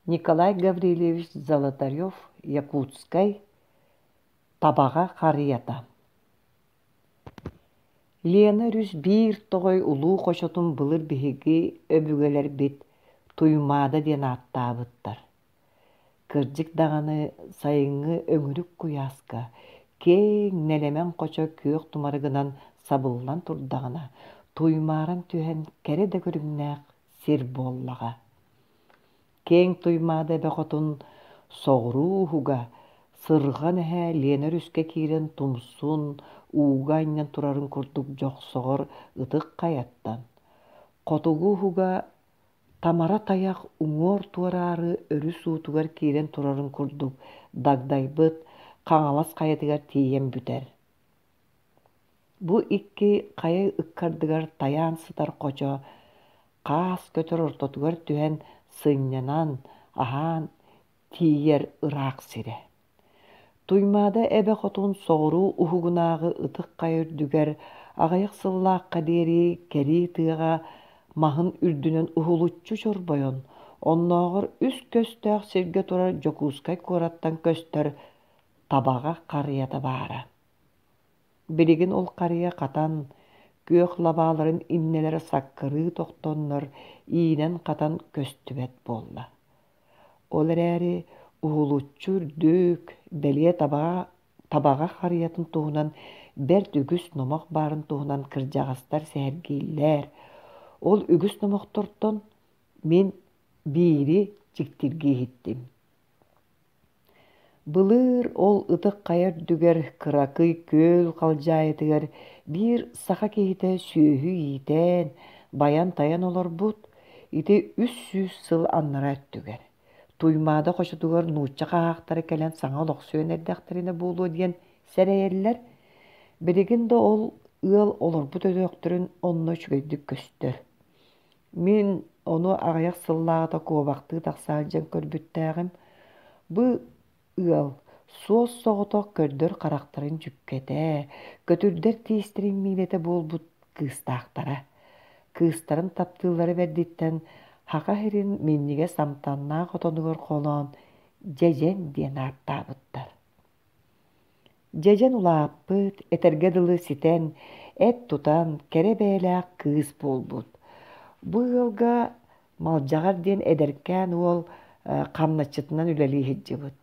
Николай Гаврильевич Золотарев Якутскай Табаҕа харыйата Лена өрүс биир тоҕой улуу хочотун былыр биһиги өбүгэлэрбит Туймаада диэн ааттаабыттар. Кырдьык даҕаны сайыҥҥы өҥүрүк куйааска киэҥ нэлэмэн хочо күөх тумарыгынан сабыллан турдаҕына, туймааран түһэн кэрэ да көрүҥнээх сир буоллаҕа. Киэҥ Туймаада эбэ хотун соҕуруу уһуга сырҕан эһэ Лена өрүскэ киирэн тумсун ууга анньан турарын курдук дьохсоҕор ытык хайаттан, хотугу уһуга Тамара тайах уҥуор туораары өрүс уутугар киирэн турарын курдук дагдайбыт Хаҥалас хайатыгар тиийэн бүтэр. Бу икки хайа ыккардыгар тайаан сытар хочо хаас көтөр ортотугар түһэн сынньанан, аһаан тиийэр ыраах сирэ. Туймаада эбэ хотун соҕуруу уһугунааҕы ытык хайа үрдүгэр аҕыйах сыллаахха диэри кэрии тыаҕа маһын үрдүнэн уһулуччу чорбойон, оннооҕор үс көстөөх сиргэ турар Дьокуускай куораттан көстөр Табаҕа харыйата баара. Билигин ол харыйа хатан, күөх лабааларын иннэлэрэ саккырыы тохтоннор, иинэн-хатан көстүбэт буолла. Ол эрээри уһулуччу үрдүк, бэлиэ табаҕа, табаҕа харыйатын туһунан бэрт үгүс номох баарын туһунан кырдьаҕастар сэһэргииллэр. Ол үгүс номохтортон мин биири дьиктиргии иһиттим. Былыр ол ытык хайа үрдүгэр кыракый күөл халдьаайытыгар биир саха киһитэ сүөһү иитэн, байан-тайан олорбут, ити 300 сыл аннараа өттүгэр. Туймаада хочотугар нуучча хаһаахтара кэлэн саҥа олохсуйан эрдэхтэринэ буолуо диэн сэрэйэллэр. Билигин да ол ыал олорбут өтөхтөрүн онно үчүгэйдик көстөр. Мин ону аҕыйах сыллааҕыта куобахтыы тахса сылдьан көрбүттээҕим. Бу ыал суос-соҕотох көрдөр харахтарын дьүккэтэ, көтүрдэр тиистэрин миилэтэ буолбут кыыстаахтара. Кыыстарын таптыыллара бэрдиттэн Саха сирин минньигэс амтаннаах отонугар холоон Дьэдьэн диэн ааттаабыттар. Дьэдьэн улааппыт, этэргэ дылы ситэн, эт тутан, кэрэ бэйэлээх кыыс буолбут. Бу ыалга Малдьаҕар диэн эдэркээн уол хамначчытынан үлэлии сылдьыбыт.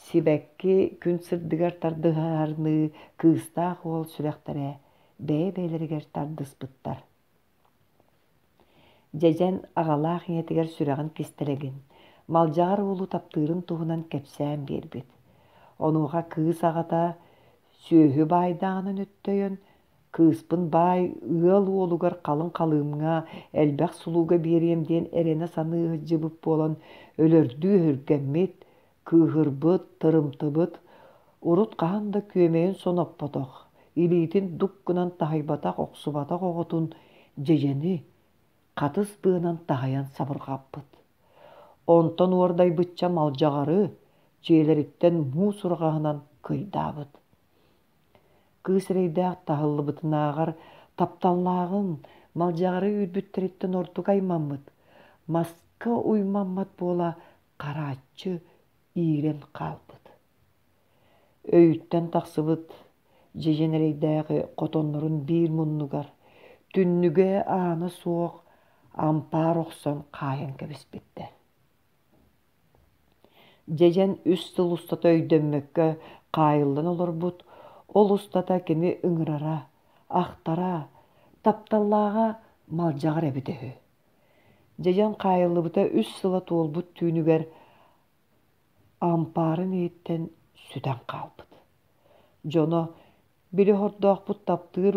Сибэкки күн сырдыгар тардыһарыныы кыыстаах уол сүрэхтэрэ бэйэ-бэйэлэригэр тардыспыттар. Дьэдьэн аҕалаах ийэтигэр сүрэҕин кистэлэҥин, Малдьаҕар уолу таптыырын туһунан кэпсээн биэрбит. Онуоха кыыс аҕата сүөһү баайдааҕынан өттөйөн, кыыспын баай ыал уолугар халыҥ халыымҥа элбэх сулууга биэриэм диэн эрэнэ саныы сылдьыбыт буолан өлөрдүү өһүргэммит, Кыыһырбыт, тырымтыбыт, урут хаһан да күөмэйин соноппотох, илиитин дук гынан таһыйбатах охсубатах оҕотун дьэдьэни хатыс быанан таһыйан сабырҕаппыт. Онтон уордайбычча малдьаҕары дьиэлэриттэн муус ураҕаһынан кыйдаабыт. Кыыс эрэйдээх таһыллыбытынааҕар тапталлааҕын, малдьаҕары үүрбүттэриттэн ордук аймаммыт, маска уймаммат буола харааччы иирэн хаалбыт. Өйүттэн тахсыбыт дьэдьэн эрэйдээҕи хотоннорун биир муннугар, түннүгэ аана суох ампаар охсон хаайан кэбиспиттэр. Дьэдьэн үс сыл устата өйдөммөккө хаайыллан олорбут, ол устата кини ыҥырара, ахтара, тапталлааҕа малдьаҕар эбитэ үһү. Дьэдьэн хаайыллыбыта үс сыла туолбут түүнүгэр ампаарын иһиттэн сүтэн хаалбыт. Дьоно били хордоохпут таптыыр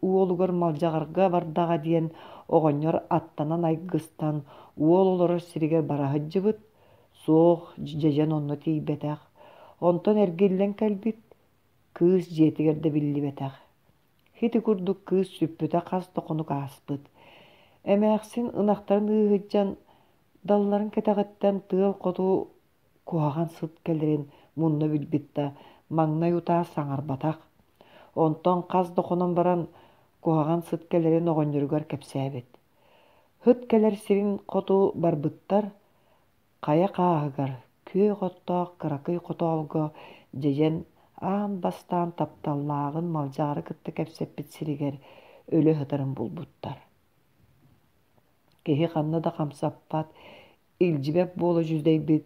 уолугар Малдьаҕарга бардаҕа диэн оҕонньор аттанан айгыстан уол олорор сиригэр бара сылдьыбыт, суох дьэдьэн онно тиийбэтэх. Онтон эргиллэн кэлбит, кыыс дьиэтигэр да биллибэтэх. Ити курдук кыыс сүппүтэ хас да хонук ааспыт. Эмээхсин ынахтарын ыыһыдьан далларын кэтэҕиттэн тыал хоту куһаҕан сыт кэлэрин мунна билбит да, маҥнай утаа саҥарбатах. Онтон хас да хонон баран куһаҕан сыт кэлэрин оҕонньоругар кэпсээбит. Һыт кэлэр сирин хоту барбыттар. Хайа хааһыгар, күөх оттоох кыракый хотоолго дьэдьэн аан бастаан тапталлааҕын Малдьаҕары кытта кэпсэппит сиригэр өлө сытарын булбуттар. Киһи ханна да хамсаппат, илдьибэт буола дьүдэйбит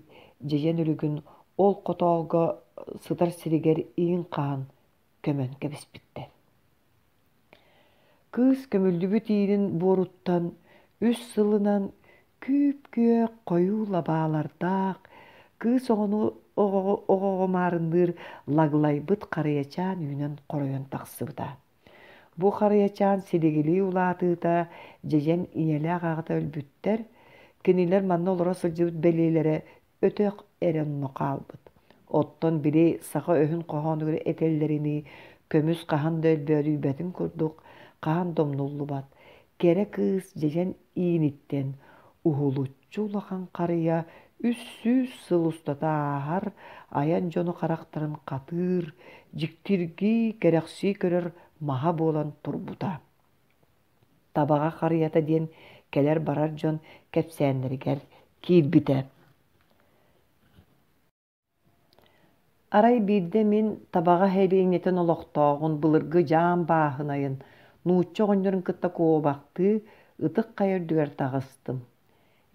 дьэдьэн өлүгүн ол хотоолго сытар сиригэр иин хаһан көмөн кэбиспиттэр. Кыыс көмүллүбүт иинин буоруттан үс сылынан күүп-күөх хойуу лабаалардаах кыыс оҕону оҕоҕо маарынныыр лаглайбыт харыйачаан үүнэн хоройон тахсыбыта. Бу харыйачаан силигилии улаатыыта дьэдьэн ийэлээх аҕата өлбүттэр, кинилэр манна олоро сылдьыбыт бэлиэлэрэ өтөх эрэ онно хаалбыт. Оттон били саха өһүн хоһоонугар этэллэринии көмүс хаһан да өлбөөдүйбэтин курдук хаһан да умнуллубат. Кэрэ кыыс дьэдьэн ииниттэн уһулуччу улахан харыйа 300 сыл устата ааһар айан дьону харахтарын хатыыр, дьиктиргии, кэрэхсии көрөр маһа буолан турбута. Табаҕа харыйата диэн кэлэр-барар дьон кэпсээннэригэр киирбитэ. Арай биирдэ мин Табаҕа сэлиэнньэтин олохтооҕун былыргы дьаам бааһынайын нуучча оҕонньорун кытта куобахтыы Ытык Хайа үрдүгэр таҕыстым.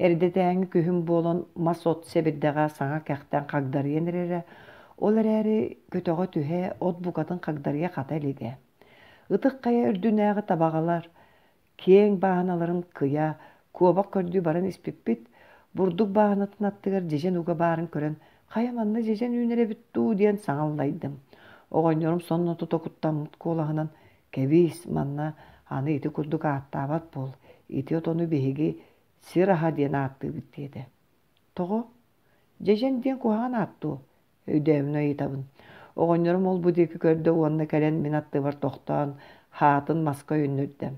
Эрдэтээҥи күһүн буолан мас-от сэбирдэҕэ саҥа кэхтэн хагдарыйан эрэрэ, ол эрээри көтөҕө түһэ, от букатын хагдарыйа хата илигэ. Ытык Хайа үрдүнээҕи табаҕалар киэҥ бааһыналарын кыйа, куобах көрдүү баран испиппит, бурдук бааһынатын аттыгар дьэдьэн уга баарын көрөн, хайа манна дьэдьэн үүнэр эбит дуу диэн саҥа аллайдым. Оҕонньорум сонно тута куттаммыт куолаһынан «Кэбиис, манна аны ити курдук ааттаабат буол, ити отону биһиги сир аһа диэн ааттыыбыт» диэтэ. «Тоҕо? Дьэдьэн диэн куһаҕан аат дуо?» Өйдөөмүнэ ыйытабын. Оҕонньорум ол-бу диэки көрдө уонна кэлэн мин аттыбар тохтоон, хаатын маска өйөннөрдө.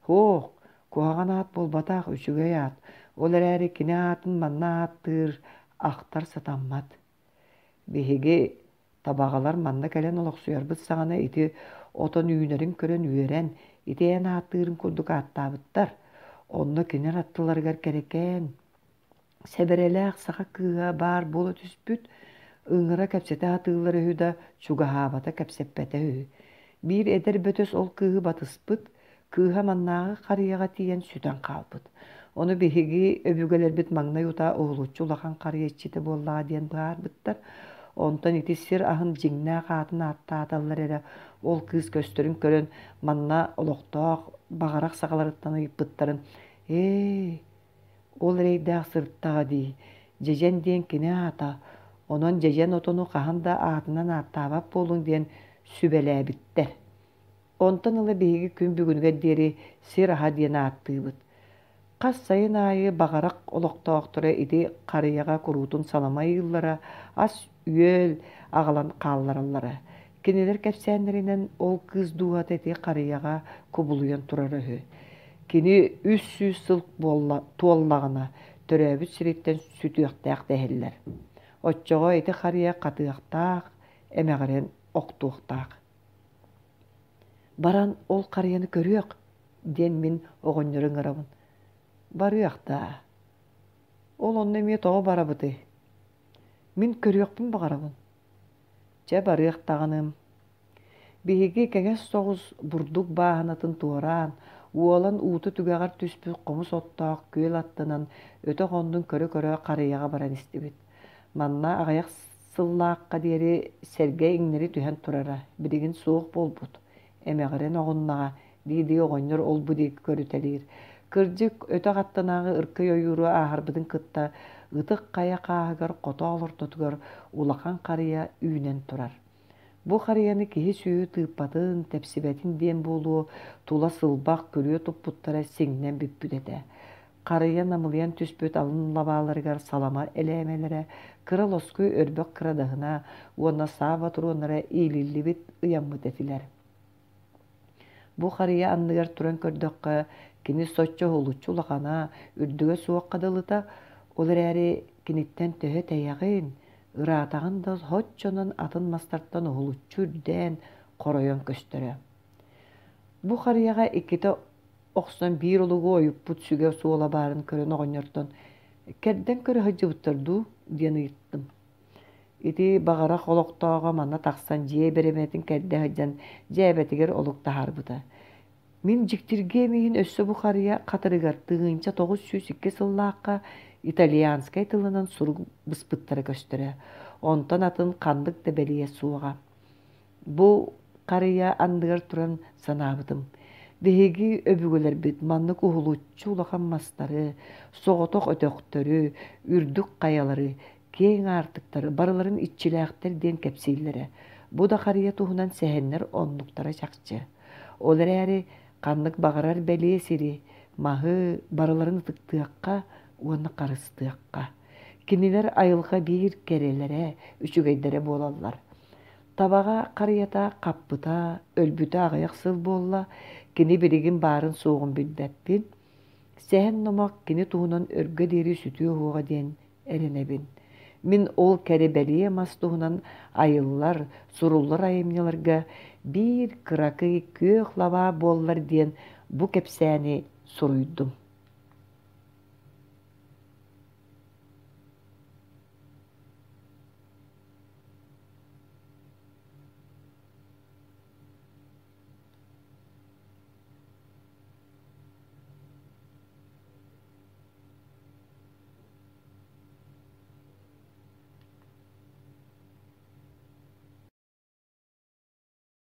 «Һуох, куһаҕан аат буолбатах, үчүгэй аат. Ол эрээри кини аатын манна ааттыыр, ахтар сатаммат. Биһиги табаҕалар манна кэлэн олохсуйарбыт саҕана ити отон үүнэрин көрөн үөрэн, ити эн ааттыырын курдук ааттаабыттар. Онно кинилэр аттыларыгар кэрэкээн, Сэбэрэлээх саха кыыһа баар буола түспүт, ыҥыра кэпсэтэ сатыыллар үһү да, чугаһаабата, кэпсэппэтэ үһү. Биир эдэр бөтөс ол кыыһы батыспыт, кыыһа маннааҕы харыйаҕа тиийэн сүтэн хаалбыт. Ону биһиги өбүгэлэрбит маҥнай утаа уһулуччу улахан харыйа иччитэ буоллаҕа диэн быһаарбыттар. Онтон ити сир аһын дьиҥнээх аатын ааттааталлар эрэ, ол кыыс көстөрүн көрөн, манна олохтоох баҕарах саҕаларыттан ыйыппыттарын «Ээ, Ол эрэйдээх сырыттаҕа дии, Дьэдьэн диэн кини аата, онон дьэдьэн отону хаһан да аатынан ааттаабат буолуҥ диэн сүбэлээбиттэр. Онтон ыла биһиги күн бүгүнүгэр диэри сир аһа диэн ааттыыбыт. Хас сайын аайы Баҕарах олохтоохторо ити харыйаҕа куруутун салама ыйыыллара, ас-үөл аҕалан хааллараллара. Кинилэр кэпсээннэринэн ол кыыс дууһата ити харыйаҕа кубулуйан турара үһү. Кини 300 сыл буолла, туоллаҕына, төрөөбүт сириттэн сүтүөхтээх дэһэллэр. Оччоҕо ити харыйа хатыахтаах, эмэҕирэн охтуохтаах. Баран ол харыйаны көрүөх, диэн мин оҕонньору ыҥырабын. Барыах даа. Ол онно эмиэ тоҕо барабытый? Мин көрүөхпүн баҕарабын. Чэ, барыах даҕаным. Биһиги кэҥэс соҕус бурдук бааһынатын туораан, уолан уута түгэҕэр түспүт хомус оттоох күөл аттынан өтөх оннун көрө-көрө харыйаҕа баран истибит. Манна аҕыйах сыллаахха диэри сэргэ иҥнэри түһэн турара, билигин суох буолбут. Эмэҕирэн оҕуннаҕа, дии-дии оҕонньор ол-бу диэки көрүтэлиир. Кырдьык, өтөх аттынааҕы ыркый ойууру ааһарбытын кытта Ытык Хайа хааһыгар хотоол ортотугар улахан харыйа үүнэн турар. Бу харыйаны киһи-сүөһү тыыппатын, тэпсибэтин диэн буолуо, тула сылбах күрүө туппуттара сиҥнэн бүппүт этэ. Харыйа намылыйан түспүт алын лабааларыгар салама элээмэлэрэ, кыра лоскуй өрбөх кырадаһына уонна саа ботуруоннара иилиллибит, ыйаммыт этилэр. Бу харыйа анныгар туран көрдөххө, кини соччо уһулуччу улахана, үрдүгэ суохха дылыта, ол эрээри киниттэн төһө тэйэҕин, ыраатаҕын да соччонон атын мастартан уһулуччу үрдээн, хоройон көстөрө. Бу харыйаҕа иккитэ охсон биир олугу ойуппут сүгэ суола баарын көрөн оҕонньортон Кэрдэн көрө сылдьыбыттар дуу диэн ыйыттым. Ити баҕарах олохтооҕо манна тахсан дьиэ бэрэбинэтин кэрдэ сылдьан дьээбэтигэр олук таһаарбыта. Мин дьиктиргиэм иһин өссө бу харыйа хатырыгар 1902 сыллаахха итальянскай тылынан сурук быспыттара көстөрө. Онтон атын ханнык да бэлиэ суоҕа. Бу харыйа анныгар туран санаабытым. Биһиги өбүгэлэрбит маннык уһулуччу улахан мастары, соҕотох өтөхтөрү, үрдүк хайалары, киэҥ аартыктары барыларын иччилээхтэр диэн кэпсииллэрэ. Бу да харыйа туһунан сэһэннэр оннуктара чахчы. Ол эрээри ханнык баҕарар бэлиэ сири, маһы барыларын ытыктыахха уонна харыстыахха. Кинилэр айылҕа биир кэрэлэрэ, үчүгэйдэрэ буолаллар. Табаҕа харыйата хаппыта, өлбүтэ аҕыйах сыл буолла, кини билигин баарын-суоҕун билбэппин. Сэһэн-номох кини туһунан өргө диэри сүтүө уһуоҕа диэн эрэнэбин. Мин ол кэрэ-бэлиэ мас туһунан айыллар, суруллар айымньыларга биир кыракый күөх лабаа буоллар диэн бу кэпсээни суруйдум.